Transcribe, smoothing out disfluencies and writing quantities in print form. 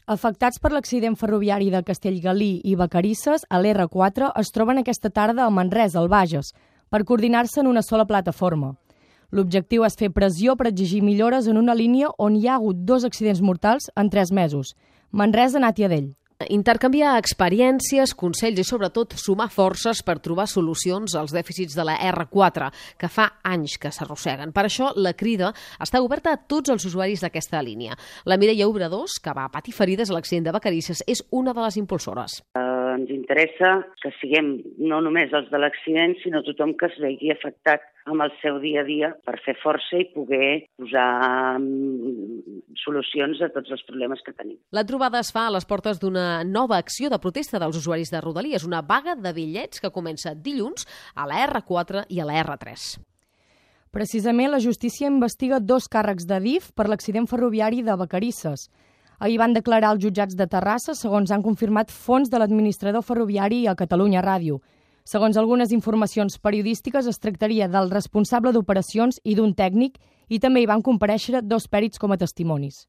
Afectats per l'accident ferroviari de Castellgalí i Vacarisses, a l'R4 es troben aquesta tarda a Manresa, al Bages, per coordinar-se en una sola plataforma. L'objectiu és fer pressió per exigir millores en una línia on hi ha hagut 2 accidents mortals en 3 mesos. Manresa-Nàtia-Dell. Intercanviar experiències, consells i sobretot sumar forces per trobar solucions als dèficits de la R4, que fa anys que s'arrosseguen. Per això la crida està oberta a tots els usuaris d'aquesta línia. La Mireia Obradors, que va patir ferides a l'accident de Vacarisses, és una de les impulsores. Ens interessa que siguem no només els de l'accident, sinó tothom que es vegi afectat amb el seu dia a dia per fer força i poder posar solucions a tots els problemes que tenim. La trobada es fa a les portes d'una nova acció de protesta dels usuaris de Rodalies, una vaga de bitllets que comença dilluns a la R4 i a la R3. Precisament, la justícia investiga 2 càrrecs d'Adif per l'accident ferroviari de Vacarisses. Ahir van declarar als jutjats de Terrassa, segons han confirmat fonts de l'administrador ferroviari a Catalunya Ràdio. Segons algunes informacions periodístiques, es tractaria del responsable d'operacions i d'un tècnic, i també hi van comparèixer 2 pèrits com a testimonis.